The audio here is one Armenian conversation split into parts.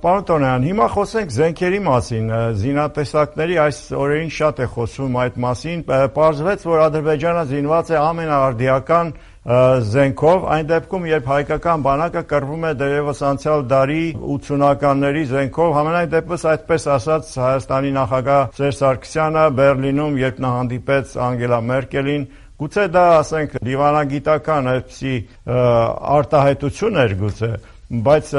Պարոն Տոնյան, հիմա խոսենք զենքերի մասին, զինատեսակների այս օրերին շատ է խոսում այդ մասին, պարզվեց, որ Ադրբեջանը զինված է ամենաարդիական զենքով, այն դեպքում, երբ հայկական բանակը կռվում է դեռևս անցյալ դարի 80-ականների զենքով, համենայն դեպս այդպես ասաց Հայաստանի նախագահ Սերժ Սարգսյանը Բեռլինում, երբ նա հանդիպեց Անգելա Մերկելին, գուցե դա, ասենք, դիվանագիտական այսպիսի արտահայտություն էր գուցե, բայց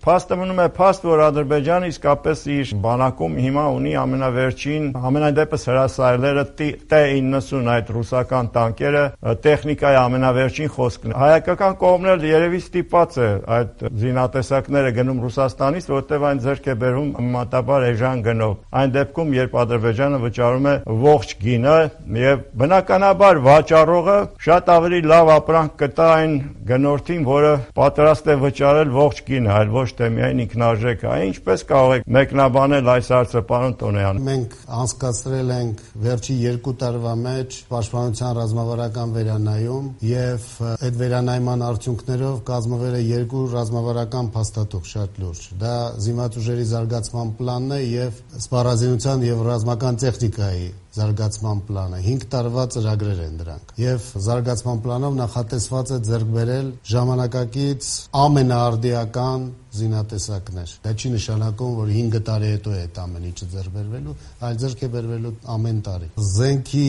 փաստը մնում է փաստ, որ Ադրբեջանը իսկապես իր բանակում հիմա ունի ամենավերջին, ամենայն դեպս հրասայլերը T-90 այդ ռուսական տանկերը, տեխնիկայի ամենավերջին խոսքն է։ Հայկական կողմն էլ երևի ստիպված է այդ զինատեսակները գնում Ռուսաստանից, որտեղ այն ձեռք է բերում մատաբար էժան գնով։ Այն դեպքում, երբ Ադրբեջանը վճարում է ողջ գինը եւ բնականաբար վաճառողը շատ ավելի լավ ապրանք կտա այն գնորդին, որը պատրաստ է վճարել ողջ գինը, այլ ոչ թե միայն ինքնարժեքը։ Ինչպես կարող եք մեկնաբանել այս հարցը, պարոն Տոնյան։ Մենք անցկացրել ենք վերջի 2 տարվա մեջ պաշտպանության ռազմավարական վերանայում եւ այդ վերանայման արդյունքներով կազմվել է 2 ռազմավարական փաստաթուղթ շատ լուրջ։ Դա զինված ուժերի զարգացման պլանն է եւ սպառազինության եւ ռազմական տեխնիկայի զարգացման պլանը 5 տարվա ծրագրեր են դրանք եւ զարգացման պլանով նախատեսված է ձեռք բերել ժամանակակից ամենաարդիական զինատեսակներ։ Դա չի նշանակում, որ 5 տարի հետո է այդ ամեն ինչը ձեռք բերվելու, այլ ձեռք է բերվելու ամեն տարի։ Զենքի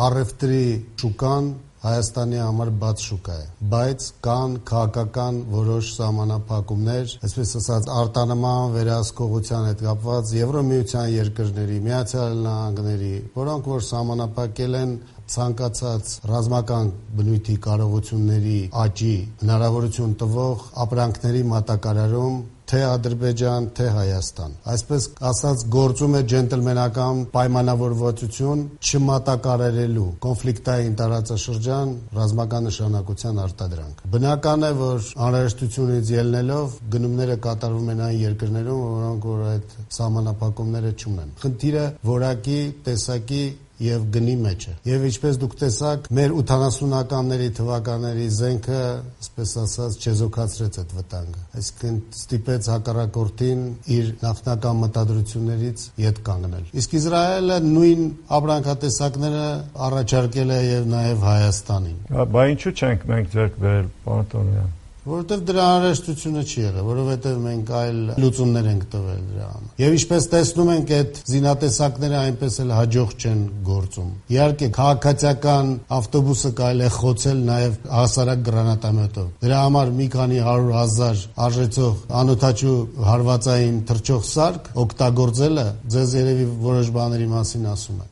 առևտրի շուկան Հայաստանի համար բաց շուկա է, բայց կան քաղաքական որոշ սահմանափակումներ, այսպես ասած արտանման վերահսկողության հետ կապված Եվրոմիության երկրների, Միացյալ Նահանգների, որոնք որ սահմանափակել են ցանկացած ռազմական բնույթի կարողությունների աճի հնարավորություն տվող ապրանքների մատակարարում թե Ադրբեջան, թե Հայաստան։ Այսպես ասած գործում է ջենտլմենական պայմանավորվածություն չմատակարարելու կոնֆլիկտային տարածաշրջան ռազմական նշանակության արտադրանք։ Բնական է, որ անհրաժեշտությունից ելնելով գնումները կատարվում են այն երկրներում, որոնք որ այդ սահմանափակումները չունեն։ Խնդիրը որակի, տեսակի եւ գնի մեջ է։ Եվ ինչպես դուք տեսաք, մեր 80-ականների թվականների զենքը, այսպես ասած, չեզոքացրեց այդ վտանգը։ Այսինքն ստիպեց հակառակորդին իր նախնական մտադրություններից ետ կանգնել։ Իսկ Իսրայելը նույն ապրանքատեսակները առաջարկել է եւ նաեւ Հայաստանին։ Բա ինչու չենք մենք ձեռք բերել, պարոն Տոնյան։ Որովհետև դրա անհրաժեշտությունը չի եղել, որովհետև մենք այլ լուծումներ ենք տվել դրա համար։ Եվ ինչպես տեսնում ենք, այդ զինատեսակները այնպես էլ հաջող չեն գործում։ Իհարկե, քաղաքացիական ավտոբուսը կարելի է խոցել նաև հասարակ գրանատամետով։ Դրա համար մի քանի 100,000 արժեցող անօդաչու հարվածային թռչող սարք օգտագործելը ձեզ երևի որոշ բաների մասին ասում է։